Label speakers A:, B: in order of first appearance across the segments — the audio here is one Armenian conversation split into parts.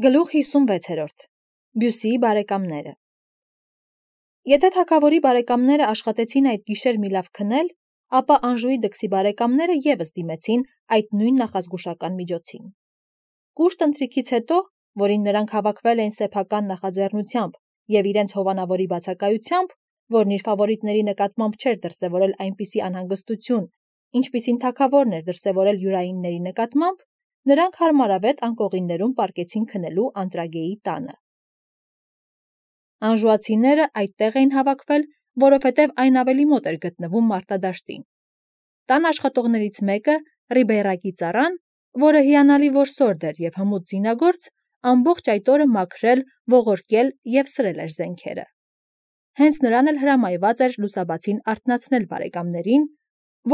A: Գլուխ 56. Բյուսիի բարեկամները։ Եթե թագավորի բարեկամները աշխատեցին այդ գիշեր մի լավ քնել, ապա Անժուի դքսի բարեկամները ևս դիմեցին այդ նույն նախազգուշական միջոցին։ Կուշտ ընթրիքից հետո, որին նրանք հավաքվել էին սեփական նախաձեռնությամբ եւ իրենց հովանավորի բացակայությամբ, որն իր ֆավորիտների նկատմամբ չէր դրսևորել այնպիսի անհանգստություն, ինչպիսին թագավորն էր դրսևորել յուրայինների նկատմամբ, նրանք հարմարավետ անկողիններում պառկեցին քնելու Անտրագեի տանը։ Անժուացիները այդտեղ էին հավաքվել, որովհետև այն ավելի մոտ էր գտնվում մարտադաշտին։ Տան աշխատողներից մեկը, Ռիբեյրակի ծառան, որը հիանալի որսորդ էր եւ հմուտ զինագործ, ամբողջ այդ օրը մաքրել, ողորկել եւ սրել էր զենքերը։ Հենց նրան էլ հրամայված էր լուսաբացին արթնացնել բարեկամներին,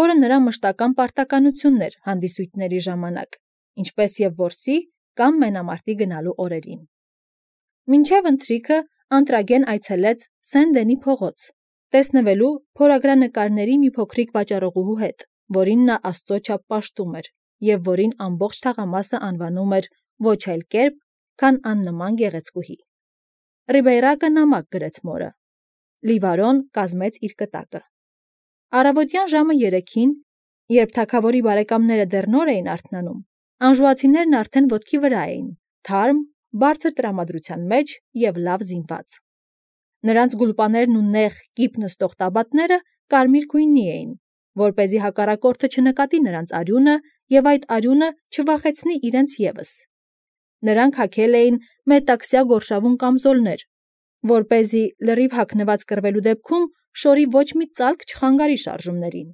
A: որը նրա մշտական պարտականությունն էր հանդիսույթների ժամանակ, ինչպես եւ որսի կամ մենամարտի գնալու օրերին։ Մինչև ընթրիքը Անտրագեն այցելեց Սեն-Դենի փողոց, տեսնվելու փորագրանկարների մի փոքրիկ վաճառողուհու հետ, որին նա աստծո չափ պաշտում էր եւ որին ամբողջ թաղամասը անվանում էր ոչ այլ կերպ, քան աննման գեղեցկուհի։ Ռիբեյրակը նամակ գրեց մորը։ Լիվարոն կազմեց իր կտակը։ Առավոտյան ժամը 3-ին, երբ թագավորի բարեկամները դեռ նոր էին արթնանում, անժուացիներն արդեն ոտքի վրա էին, թարմ, բարձր տրամադրության մեջ եւ լավ զինված։ Նրանց գուլպաներն ու նեղ կիպ նստող տաբատները կարմիր գույնի էին, որպեսզի հակառակորդը չնկատի նրանց արյունը եւ այդ արյունը չվախեցնի իրենց ևս։ Նրանք հագել էին մետաքսյա գորշավուն կամզոլներ, որպեսզի լրիվ հագնված կռվելու դեպքում շորի ոչ մի ծալք չխանգարի շարժումներին։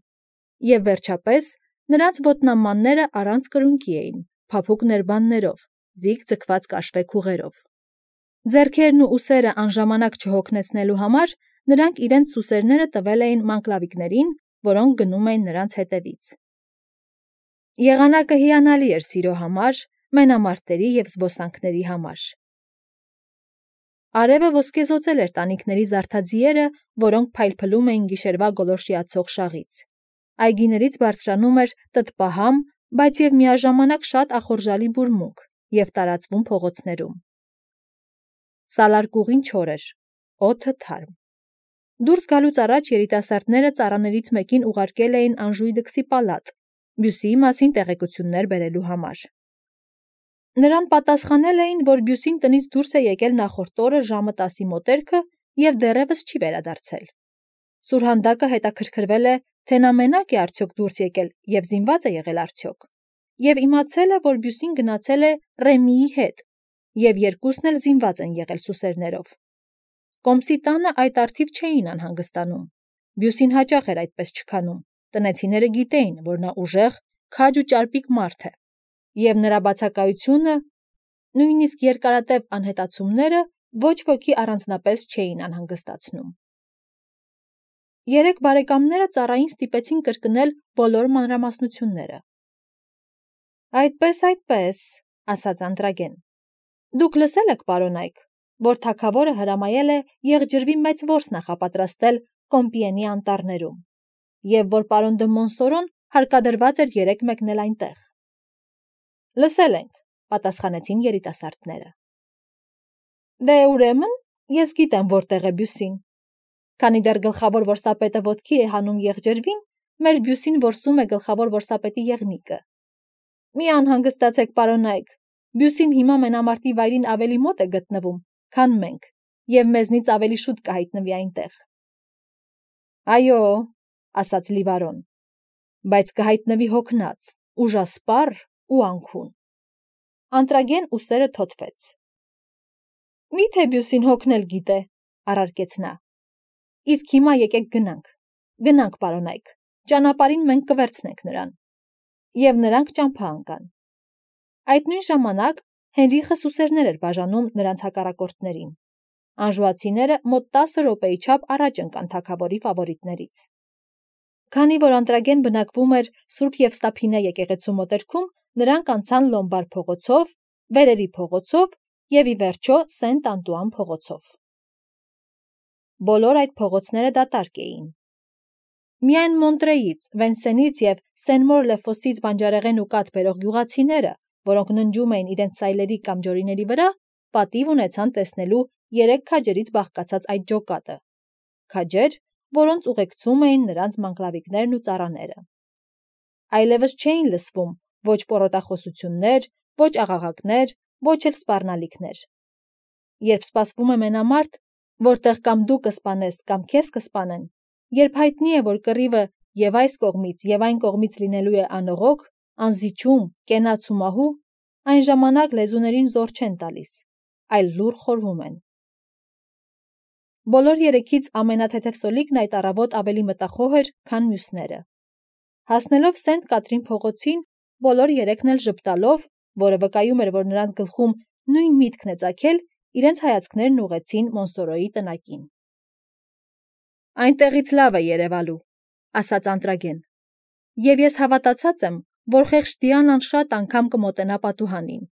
A: Եվ վերջապես նրանց ոտնամանները առանց կրունկի էին, փափուկ ներբաններով, ձիգ ձգված կաշվե քուղերով։ Ձեռքերն ու ուսերը անժամանակ չհոգնեցնելու համար նրանք իրենց սուսերները տվել էին մանկլավիկներին, որոնք գնում էին նրանց հետևից։ Եղանակը հիանալի էր սիրո համար, մենամարտերի եւ զբոսանքների համար։ Արևը ոսկեզօծել էր տանիքների զարդաձիերը, որոնք փայլփլում էին գիշերվա գոլորշիացող շաղից։ Այգիներից բարձրանում էր տտպահամ, բայց եւ միաժամանակ շատ ախորժալի բուրմունք եւ տարածվում փողոցներում։ Սալարկուղին չոր էր, օդը թարմ։ Դուրս գալուց առաջ երիտասարդները ծառաներից մեկին ուղարկել էին Անժուի դքսի պալատ, Բյուսիի մասին տեղեկություններ բերելու համար։ Նրան պատասխանել էին, որ Բյուսին տնից դուրս է եկել նախորդ օրը ժամը 10-ի մոտերքը եւ դեռևս չի վերադարձել։ Սուրհանդակը հետաքրքրվել է, թե նա մենակ է արդյոք դուրս եկել եւ զինված է եղել արդյոք, եւ իմացել է, որ Բյուսին գնացել է Ռեմիի հետ, եւ երկուսն էլ զինված են եղել սուսերներով։ Կոմսի տանը այդ արդիվ չէին անհանգստանում։ Բյուսին հաճախ էր այդպես չքանում։ Տնեցիները գիտեին, որ նա ուժեղ, քաջ ու ճարպիկ մարդ է, եւ նրա բացակայությունը, նույնիսկ երկարատև անհետացումները ոչ ոքի առանձնապես չէին անհանգստացնում։ Երեք բարեկամները ծառային ստիպեցին կրկնել բոլոր մանրամասնությունները։ Այդպես, ասաց Անտրագեն։ Դուք լսել եք, պարոնայք, որ թագավորը հրամայել է եղջրվի մեծ որս նախապատրաստել Կոմպիենի անտառներում, եւ որ պարոն դը Մոնսորոն հարկադրված էր 3 մեկնել այնտեղ։ Լսել ենք, պատասխանեցին երիտասարդները։ Դե ուրեմն, ես գիտեմ որտեղ է Բյուսին։ Քանի դեռ գլխավոր որսապետը ոտքի է հանում եղջրվին, մեր Բյուսին որսում է գլխավոր որսապետի եղնիկը։ Մի անհանգստացեք, պարոնայք, Բյուսին հիմա մենամարտի վայրին ավելի մոտ է գտնվում, քան մենք, եւ մեզնից ավելի շուտ կհայտնվի այնտեղ։ Այո, ասաց Լիվարոն, բայց կհայտնվի հոգնած, ուժասպառ ու անքուն։ Անտրագեն ուսերը թոթվեց։ Միթե Բյուսին հոգնել գիտե, առարկեց նա։ Իսկ հիմա եկեք գնանք, պարոնայք, ճանապարհին մենք կվերցնենք նրան։ Եվ նրանք ճամփա ընկան։ Այդ նույն ժամանակ Հենրիխը սուսերներ էր բաժանում նրանց հակառակորդներին։ Անժուացիները մոտ 10 րոպեի չափ առաջ ընկան թագավորի ֆավորիտներից։ Քանի որ Անտրագեն բնակվում էր Սուրբ Եվստափինե եկեղեցու մոտերքում, նրանք անցան Լոմբար փողոցով, Վերերի փողոցով եւ ի վերջո Սենտ Անտուան փողոցով։ Բոլոր այդ փողոցները դատարկ էին։ Միայն Մոնտրեից, Վենսենից եւ Սեն-Մոր-Լեֆոսից բանջարեղեն ու կաթ բերող գյուղացիները, որոնք ննջում էին իրենց սայլերի կամ ջորիների վրա, պատիվ ունեցան տեսնելու 3 քաջերից բաղկացած այդ ջոկատը։ Քաջեր, որոնց ուղեկցում էին նրանց մանկլավիկներն ու ծառաները։ Այլևս չէին լսվում ոչ պոռոտախոսություններ, ոչ աղաղակներ, ոչ էլ սպառնալիքներ։ Երբ սպասվում է մենամարտ, որտեղ կամ դու կսպանես, կամ քեզ կսպանեն, երբ հայտնի է, որ կռիվը եւ այս կողմից, եւ այն կողմից լինելու է անողոք, անզիջում, կենաց ու մահու, այն ժամանակ լեզուներին զոր չեն տալիս, այլ լուռ խորհում են։ Բոլոր երեքից ամենաթեթև սոլիկն այդ առավոտ ավելի մտախոհ էր, քան մյուսները։ Հասնելով Սենտ Կատրին փողոցին, բոլոր երեքն էլ ժպտալով, որը վկայում էր, որ նրանց գլխում նույն միտքն է ծագել, իրենց հայացքներն ուղղեցին Մոնսորոյի տնակին։ Այնտեղից լավ է երևալու, ասաց Անտրագեն, եւ ես հավատացած եմ, որ խեղճ Դիանան շատ անգամ կմոտենա պատուհանին։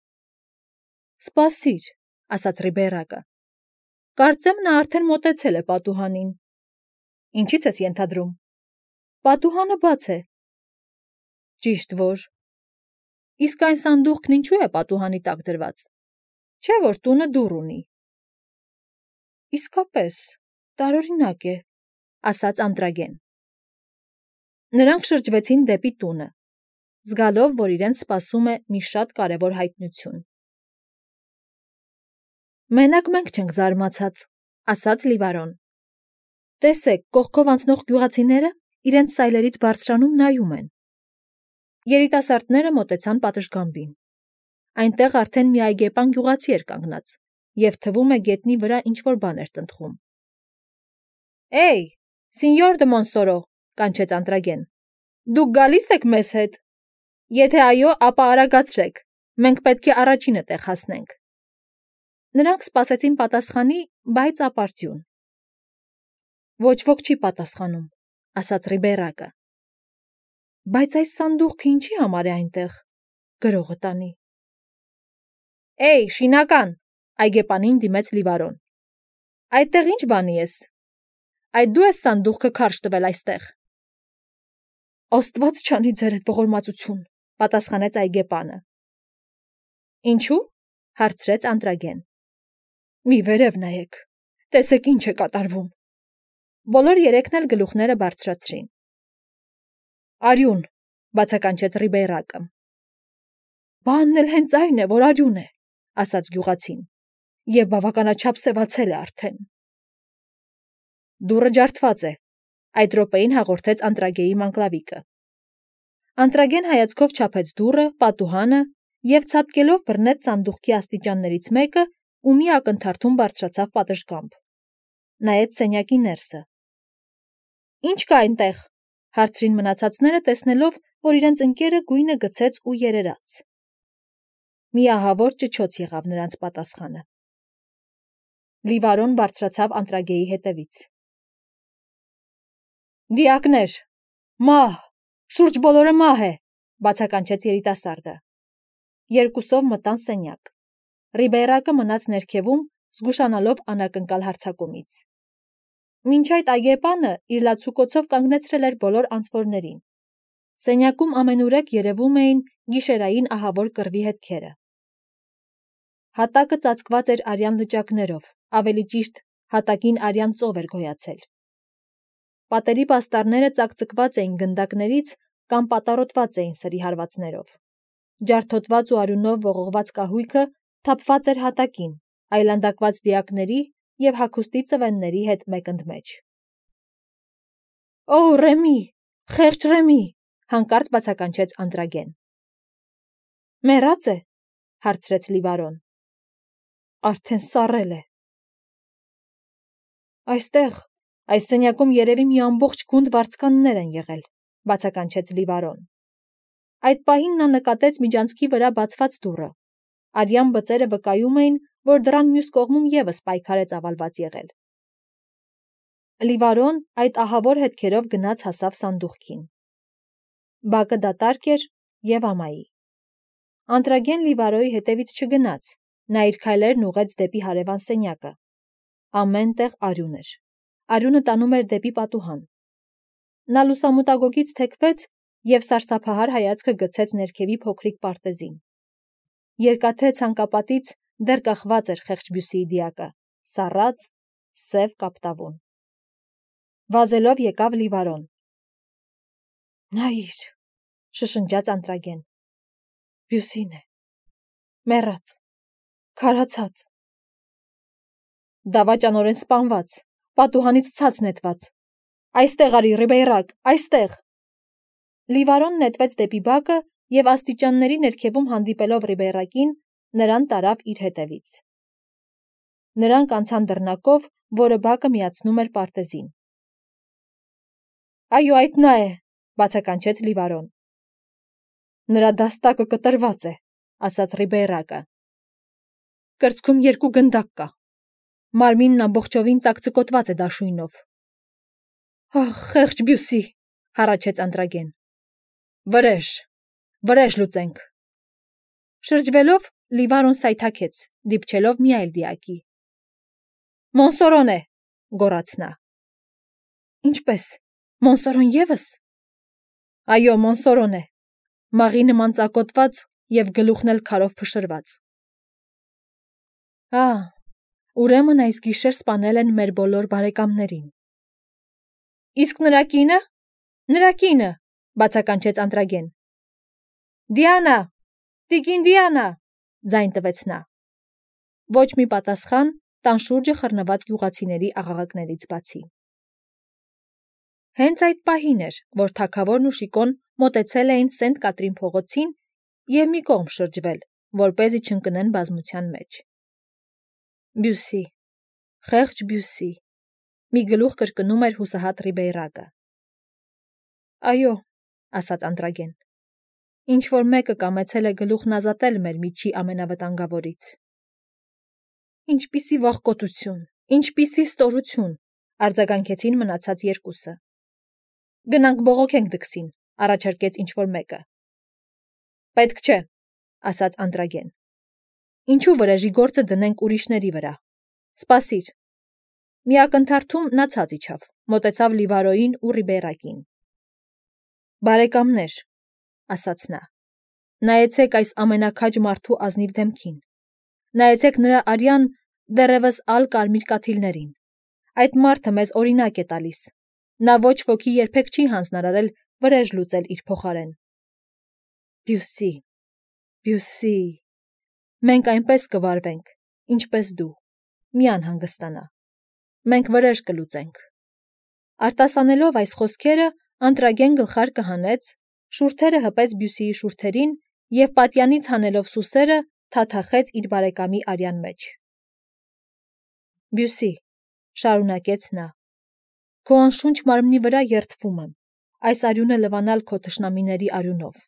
A: Սպասիր, ասաց Ռիբերակը։ Կարծեմ նա արդեն մոտեցել է պատուհանին։ Ինչից ես ենթադրում։ Պատուհանը բաց է։ Ճիշտ որ։ Իսկ այն սանդուղքն ինչու է պատուհանի տակ դրված։ Չէ՞ որ տունը դուռ ունի։ Իսկապես, տարօրինակ է, ասաց Անտրագեն։ Նրանք շրջվեցին դեպի տունը, զգալով, որ իրենց սպասում է մի շատ կարևոր հայտնություն։ Մենակ մենք չենք զարմացած, ասաց Լիվարոն։ Տեսեք, կողքով անցնող գյուղացիները իրենց սայլերից բարձրանում նայում են։ Երիտասարդները մոտեցան պատշգամբին։ Այնտեղ արդեն մի այգեպան գյուղացի էր կանգնած, եւ թվում է գետնի վրա ինչ-որ բան էր տնտղում։ Էй, սինյոր դե Մոնսորո, կանչեց Անտրագեն։ Դուք գալիս եք մեզ հետ։ Եթե այո, ապա արագացրեք։ Մենք պետք է առաջինը տեղ հասնենք։ Նրանք սպասեցին պատասխանի, բայց ապարդյուն։ Ոչ ոք չի պատասխանում, ասաց Ռիբերակը։ Բայց այս սանդուղքը ինչի համար է այնտեղ, գրողը տանի։ Էй, շինական, այգեպանին դիմեց Լիվարոն։ Այդտեղ ինչ բանի ես։ Այդ դու ես սանդուղքը քարշ տվել այստեղ։ Աստված չանի ձերդ ողորմածություն, պատասխանեց այգեպանը։ Ինչու՞, հարցրեց Անտրագեն։ Մի վերև նայեք, տեսեք ինչ է կատարվում։ Բոլոր երեքն էլ գլուխները բարձրացրին։ Արյուն, բացականչեց Ռիբերակը։ Բանն էլ հենց այն է, որ արյուն է, ասաց գյուղացին, եւ բավականաչափ սևացել է արդեն։ Դուռը ջարդված է, այդ րոպեին հաղորդեց Անտրագեի մանկլավիկը։ Անտրագեն հայացքով չափեց դուռը, պատուհանը եւ ցատկելով բռնեց սանդուղքի աստիճաններից մեկը ու մի ակնթարթում բարձրացավ պատշգամբ։ Նայեց սենյակի ներսը։ Ինչ կա այնտեղ, հարցրին մնացածները, տեսնելով, որ իրենց ընկերը գույնը գցեց ու երերաց։ Մի ահավոր ճչոց եղավ նրանց պատասխանը։ Լիվարոն բարձրացավ Անտրագեի հետևից։ Դիակներ, մահ, շուրջ բոլորը մահ է, բացականչեց երիտասարդը։ Երկուսով մտան սենյակ։ Ռիբերակը մնաց ներքևում, զգուշանալով անակնկալ հարձակումից։ Մինչ այդ այգեպանը իր լացուկոցով կանգնեցրել էր բոլոր անցվորներին։ Սենյակում ամենուրեք երևում էին գիշերային ահավոր կռվի հետքերը։ Հատակը ծածկված էր արյան լճակներով, ավելի ճիշտ հատակին արյան ծով էր գոյացել։ Պատերի պաստառները ծակծկված էին գնդակներից կամ պատառոտված էին սրի հարվածներով։ Ջարդոտված ու արյունով ողողված կահույքը թափված էր հատակին, այլանդակված դիակների եւ հագուստի ծվենների հետ մեկընդմեջ։ Օ, Ռեմի, խեղճ Ռեմի, հանկարծ բացականչեց Անտրագեն։ Մեռած է, հարցրեց Լիվարոն։ Արդեն սառել է։ Այստեղ, այս սենյակում երևի մի ամբողջ գունդ վարձկաններ են եղել, բացականչեց Լիվարոն։ Այդ պահին նա նկատեց միջանցքի վրա բացված դուռը։ Արյան բծերը վկայում էին, որ դռան մյուս կողմում եւս պայքար է ծավալված եղել։ Լիվարոն այդ ահավոր հետքերով գնաց հասավ սանդուղքին։ Բակը դատարկ էր եւ ամայի։ Անտրագեն Լիվարոյի հետևից չգնաց, նա իր քայլերն ուղղեց դեպի հարևան սենյակը։ Ամեն տեղ արյուն էր։ Արյունը տանում էր դեպի պատուհան։ Նա լուսամուտագոգից թեքվեց եւ սարսափահար հայացքը գցեց ներքևի փոքրիկ պարտեզին։ Երկաթե ցանկապատից դեռ կախված էր խեղճ Բյուսիի դիակը, սառած, սև կապտավուն։ Վազելով եկավ Լիվարոն։ Նայիր, շշնջաց Անտրագեն։ Բյուսին է, մեռած, քարացած։ Դավաճանորեն սպանված, պատուհանից ցած նետված։ Այստեղ արի, Ռիբեյրակ, այստեղ։ Լիվարոն նետվեց դեպի բակը և աստիճանների ներքևում հանդիպելով Ռիբեյրակին, նրան տարավ իր հետևից։ Նրանք անցան դռնակով, որը բակը միացնում էր պարտեզին։ Այո, այդ նա է, բացականչեց Լիվարոն։ Նրա դաստակը կտրված է, ասաց Ռիբեյրակը։ Կրծքում 2 գնդակ կա։ Մարմինն ամբողջովին ծակծկոտված է դաշույնով։ Ահ, խեղճ Բյուսի, հառաչեց Անտրագեն։ Վրեժ լուծենք։ Շրջվելով Լիվարոն սայթաքեց, դիպչելով մի այլ դիակի։ Մոնսորոն է, գոռաց նա։ Ինչպես, Մոնսորոն ևս։ Այո, Մոնսորոն է, մաղի նման ծակոտված և գլուխն էլ քարով փշրված։ Ուրեմն այս գիշեր սպանել են մեր բոլոր բարեկամներին։ Իսկ նրա կինը։ Նրա կինը, բացականչեց Անտրագեն։ Դիանա, տիկին Դիանա, ձայն տվեց նա։ Ոչ մի պատասխան տան շուրջը խռնված գյուղացիների աղաղակներից բացի։ Հենց այդ պահին էր, որ թագավորն ու Շիկոն մոտեցել էին Սենտ Կատրին փողոցին և մի կողմ շրջվել, որպեսզի չընկնեն բազմության մեջ։ Բյուսի, խեղճ Բյուսի, մի գլուխ կրկնում էր հուսահատ Ռիբեյրակը։ Այո, ասաց Անտրագեն, ինչ-որ մեկը կամեցել է գլուխն ազատել մեր միջի ամենավտանգավորից։ Ինչպիսի վախկոտություն, ինչպիսի ստորություն, արձագանքեցին մնացած երկուսը։ Գնանք բողոքենք դքսին, առաջարկեց ինչ-որ մեկը։ Պետք չէ, ասաց Անտրագեն։ Ինչու վրեժի գործը դնենք ուրիշների վրա։ Սպասիր։ Մի ակնթարթում նա ցած իջավ, մոտեցավ Լիվարոյին ու Ռիբեյրակին։ Բարեկամներ, ասաց նա, նայեցեք այս ամենաքաջ մարդու ազնիվ դեմքին։ Նայեցեք նրա արյան դեռևս ալ կարմիր կաթիլներին։ Այդ մարդը մեզ օրինակ է տալիս։ Նա ոչ ոքի երբեք չի հանձնարարել վրեժ լուծել իր փոխարեն։ Բյուսի, մենք այնպես կվարվենք, ինչպես դու, մի անհանգստանա, մենք վրեժ կլուծենք։ Արտասանելով այս խոսքերը, Անտրագեն գլխարկը հանեց, շուրթերը հպեց Բյուսիի շուրթերին և պատյանից հանելով սուսերը, թաթախեց իր բարեկամի արյան մեջ։ Բյուսի, շարունակեց նա, քո անշունչ մարմնի վրա երդվում եմ, այս արյունը լվանալ քո թշնամիների արյունով։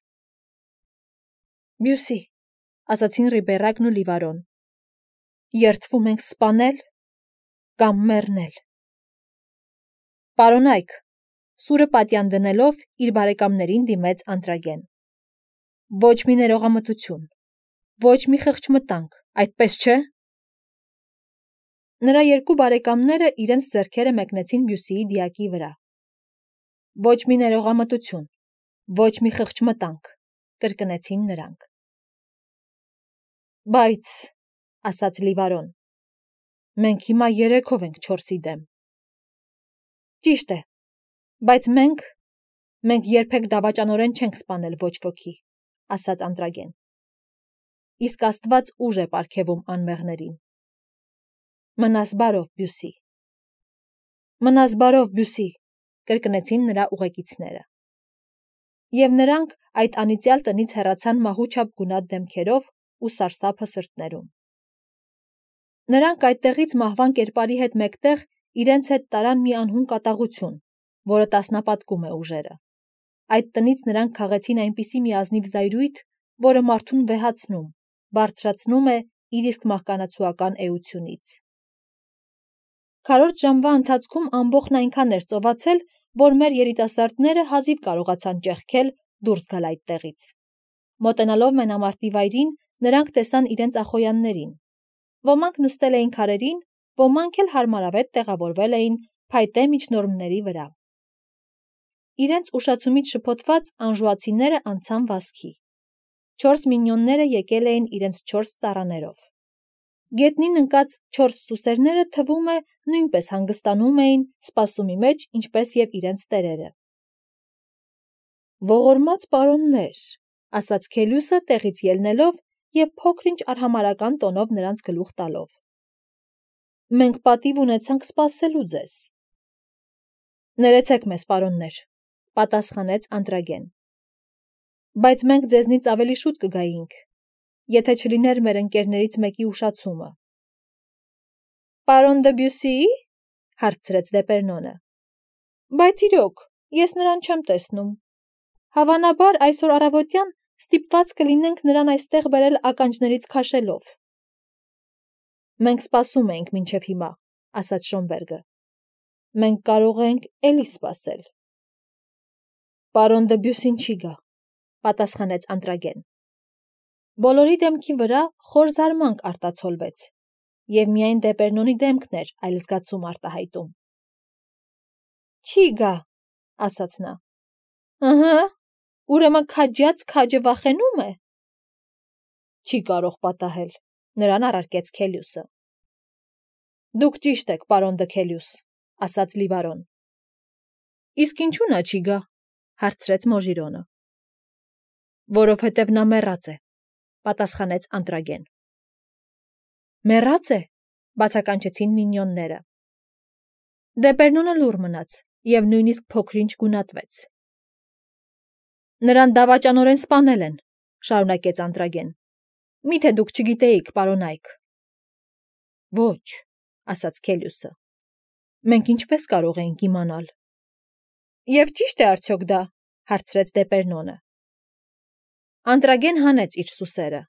A: Բյուսի, ասացին Ռիբեյրակն ու Լիվարոն, երդվում ենք սպանել կամ մեռնել։ Պարոնայք, սուրը պատյան դնելով իր բարեկամներին դիմեց Անտրագեն։ Ոչ մի ներողամտություն, ոչ մի խղճմտանք, այդպես չէ։ Նրա երկու բարեկամները իրենց ձեռքերը մեկնեցին Բյուսիի դիակի վրա։ Ոչ մի ներողամտություն, ոչ մի խղճմտանք, կրկնեցին նրանք։ Բայց, ասաց Լիվարոն, մենք հիմա 3-ով ենք 4-ի դեմ։ Ճիշտ է, բայց մենք երբեք դավաճանորեն չենք սպանել ոչ ոքի, ասաց Անտրագեն։ Իսկ Աստված ուժ է պարգևում անմեղներին։ Մնաս բարով, Բյուսի։ Մնաս բարով, Բյուսի, կրկնեցին նրա ուղեկիցները։ Եվ նրանք այդ անիծյալ տնից հեռացան մահուչափ գունատ դեմքերով ու սարսափը սրտներում։ Նրանք այդտեղից մահվան կերպարի հետ մեկտեղ իրենց հետ տարան մի անհուն կատաղություն, որը տասնապատկում է ուժերը։ Այդ տնից նրանք քաղեցին այնպիսի մի ազնիվ զայրույթ, որը մարդուն վեհացնում, բարձրացնում է իր իսկ մահկանացուական էությունից։ Քառորդ ժամվա ընթացքում ամբոխն այնքան էր ծովածել, որ մեր երիտասարդները հազիվ կարողացան ճեղքել դուրս գալ այդտեղից։ Մոտենալով մենամարտի վայրին, նրանք տեսան իրենց ախոյաններին։ Ոմանք նստել էին քարերին, ոմանք էլ հարմարավետ տեղավորվել էին փայտե միջնորմների վրա։ Իրենց ուշացումից շփոթված անժուացիները անցան վազքի։ 4 մինյոնները եկել էին իրենց 4 ծառաներով։ Գետնին ընկած 4 սուսերները թվում է նույնպես հանգստանում էին սպասումի մեջ, ինչպես և իրենց տերերը։ Ողորմած պարոններ, ասաց Քելյուսը տեղից ելնելով և փոքր-ինչ արհամարհական տոնով նրանց գլուխ տալով։ Մենք պատիվ ունեցանք սպասելու ձեզ։ Ներեցեք մեզ, պարոններ, պատասխանեց Անտրագեն։ Բայց մենք ձեզնից ավելի շուտ կգայինք, եթե չլիներ մեր ընկերներից մեկի ուշացումը։ Պարոն Դբյուսի՞ի, հարցրեց Դեպերնոնը։ Բայց իրոք, ես նրան չեմ տեսնում։ Հավանաբար այսօր առավոտյան ստիպված կլինենք նրան այստեղ բերել ականջներից քաշելով։ Մենք սպասում էինք մինչև հիմա, ասաց Շոնբերգը։ Մենք կարող ենք էլի սպասել։ Պարոն Դբյուսին չի գա, պատասխանեց Անտրագեն։ Բոլորի դեմքի վրա խոր զարմանք արտացոլվեց, և միայն Դեպերնոնի դեմքն էր այլ զգացում արտահայտում։ Չի գա, ասաց նա։ Ըհը, ուրեմն քաջած քաջը վախենում է։ Չի կարող պատահել, նրան առարկեց Քելյուսը։ Դուք ճիշտ եք, պարոն Դքելյուս, ասաց Լիվարոն։ Իսկ ինչու նա չի գա, հարցրեց Մոժիրոնը։ Որովհետև նա մեռած է, պատասխանեց Անտրագեն։ Մեռած է, բացականչեցին մինյոնները։ Դեպերնոնը լուռ մնաց և նույնիսկ փոքր-ինչ գունատվեց։ Նրան դավաճանորեն սպանել են, շարունակեց Անտրագեն։ Միթե դուք չգիտեիք, պարոն Այք։ Ոչ, ասաց Քելյուսը։ Մենք ինչպես կարող էինք իմանալ։ Եվ ճիշտ է արդյոք դա, հարցրեց Դեպերնոնը։ Անտրագեն հանեց իր սուսերը։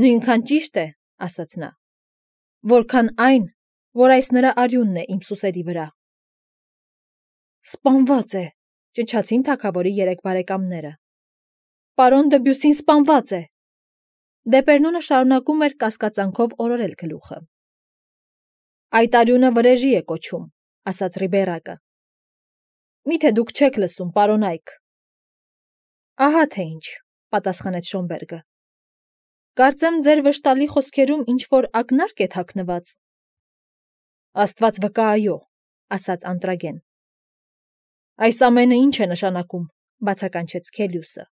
A: Նույնքան ճիշտ է, ասաց նա, որքան այն, որ այս նրա արյունն է իմ սուսերի վրա։ Սպանված է, ճչացին թագավորի 3 բարեկամները։ Պարոն Դբյուսին սպանված է։ Դեպերնոնը շարունակում էր կասկածանքով օրորել գլուխը։ Այդ արյունը վրեժի է կոչում, ասաց Ռիբերակը։ Միթե դուք չեք լսում, պարոն Այք։ Ահա թե ինչ, պատասխանեց Շոնբերգը։ Կարծեմ ձեր վշտալի խոսքերում ինչ-որ ակնարկ է թաքնված։ Աստված վկա, այո, ասաց Անտրագեն։ Այս ամենը ինչ է նշանակում, բացականչեց Քելյուսը։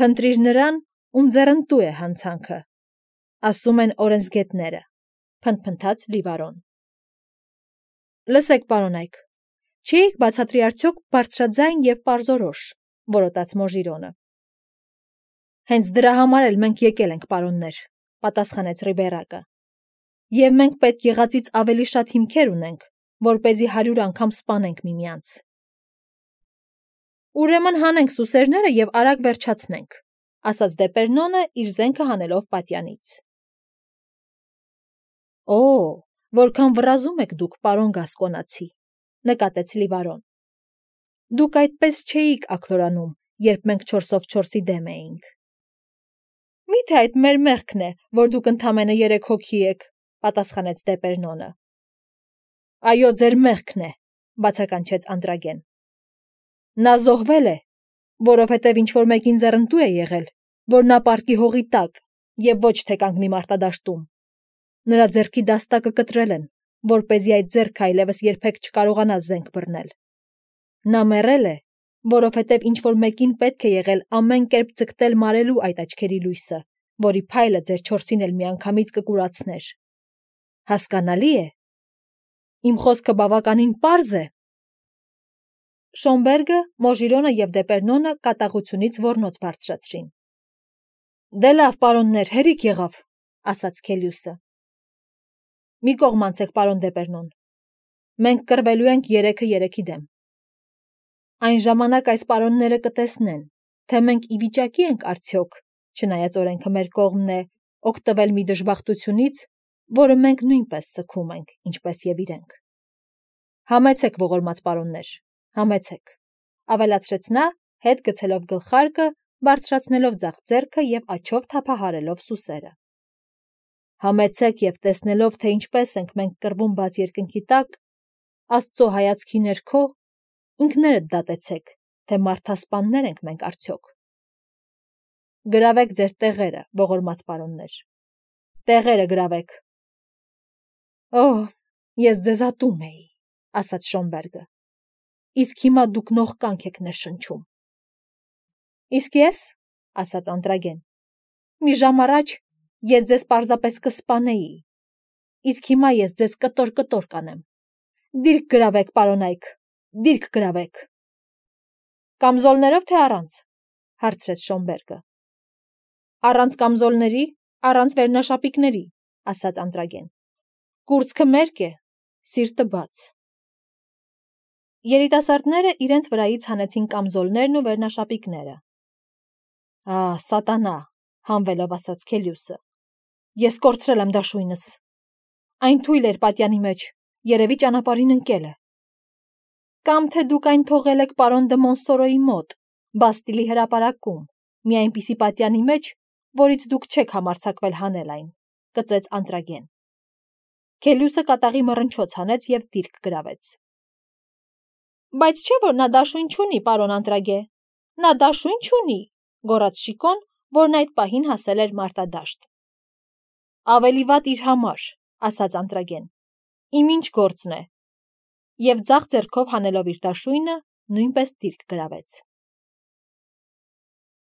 A: Փնտրիր նրան, ում ձեռնտու է հանցանքը, ասում են օրենսգետները, փնթփնթաց Լիվարոն։ Լսեք, պարոն Այք, չէիք բացատրի արդյոք բարձրաձայն և պարզորոշ, որոտաց Մոժիրոնը։ Հենց դրա համար էլ մենք եկել ենք, պարոններ, պատասխանեց Ռիբերակը։ Եվ մենք պետք եղածից ավելի շատ հիմքեր ունենք, որպեսզի 100 անգամ սպանենք միմյանց։ Ուրեմն հանենք սուսերները և արագ վերջացնենք, ասաց Դեպերնոնը իր զենքը հանելով պատյանից։ Օ, որքան վռազում եք դուք, պարոն Գասկոնացի, նկատեց Լիվարոն։ Դուք այդպես չէիք աքլորանում, երբ մենք 4-ով 4-ի դեմ էինք։ Միթե այդ մեր մեղքն է, որ դուք ընդամենը 3 հոգի եք, պատասխանեց Դեպերնոնը։ Այո, ձեր մեղքն է, բացականչեց Անտրագեն։ Նա զոհվել է, որովհետև ինչ-որ մեկին ձեռնտու է եղել, որ նա պարկի հողի տակ և ոչ թե կանգնի մարտադաշտում։ Նրա ձեռքի դաստակը կտրել են, որպեսզի այդ ձեռքը այլևս երբեք չկարողանա զենք բռնել։ Նա մեռել է, որովհետև ինչ-որ մեկին պետք է եղել ամեն կերպ ձգտել մարելու այդ աչքերի լույսը, որի փայլը ձեր 4-ին էլ միանգամից կկուրացներ։ Հասկանալի է։ Իմ խոսքը բավականին պարզ է։ Շոնբերգը, Մոժիրոնը և Դեպերնոնը կատաղությունից ոռնոց բարձրացրին։ Դե լավ, պարոններ, հերիք եղավ, ասաց Քելյուսը։ Մի կողմ անցեք, պարոն Դեպերնոն։ Մենք կռվելու ենք 3-3-ի դեմ։ Այն ժամանակ այս պարոնները կտեսնեն, թե մենք ի վիճակի ենք արդյոք, չնայած օրենքը մեր կողմն է, օգտվել մի դժբախտությունից, որը մենք նույնպես սգում ենք, ինչպես և իրենք։ Համեցեք, ողորմած պարոններ, համեցեք, ավելացրեց նա, հետ գցելով գլխարկը, բարձրացնելով ձախ ձեռքը և աջով թափահարելով սուսերը։ Համեցեք և տեսնելով, թե ինչպես ենք մենք կռվում բաց երկնքի տակ, Աստծո հայացքի ներքո, ինքներդ դատեցեք, թե մարդասպաններ ենք մենք արդյոք։ Գրավեք ձեր տեղերը, ողորմած պարոններ։ Տեղերը գրավեք։ Օհ, ես ձեզ ատում էի, ասաց Շոնբերգը։ Իսկ հիմա դուք նողկանք եք ներշնչում։ Իսկ ես, ասաց Անտրագեն, մի ժամ առաջ ես ձեզ պարզապես կսպանեի, իսկ հիմա ես ձեզ կտոր կանեմ։ Դիրք գրավեք, պարոնայք, դիրք գրավեք։ Կամզոլներով թե առանց, հարցրեց Շոնբերգը։ Առանց կամզոլների, առանց վերնաշապիկների, ասաց Անտրագեն։ Կուրծքը մերկ է, սիրտը բաց։ Երիտասարդները իրենց վրայից հանեցին կամզոլներն ու վերնաշապիկները։ Սատանա, հանվելով ասաց Քելյուսը։ Ես կորցրել եմ դաշույնս։ Այն թույլ էր պատյանի մեջ, երևի ճանապարհին ընկել է։ Կամ թե դուք այն թողել եք պարոն դը Մոնսորոյի մոտ, Բաստիլի հրապարակում, մի այնպիսի պատյանի մեջ, որից դուք չեք համարձակվել հանել այն, կծեց Անտրագեն։ Քելյուսը կատաղի մռնչոց հանեց և դիրք գրավեց։ Բայց չէ՞ որ նա դաշույն չունի, պարոն Անտրագե։ Նա դաշույն չունի, գոռաց Շիկոն, որն այդ պահին հասել էր մարտադաշտ։ Ավելի վատ իր համար, ասաց Անտրագեն։ Իմ ինչ գործն է։ Եվ ձախ ձեռքով հանելով իր դաշույնը, նույնպես դիրք գրավեց։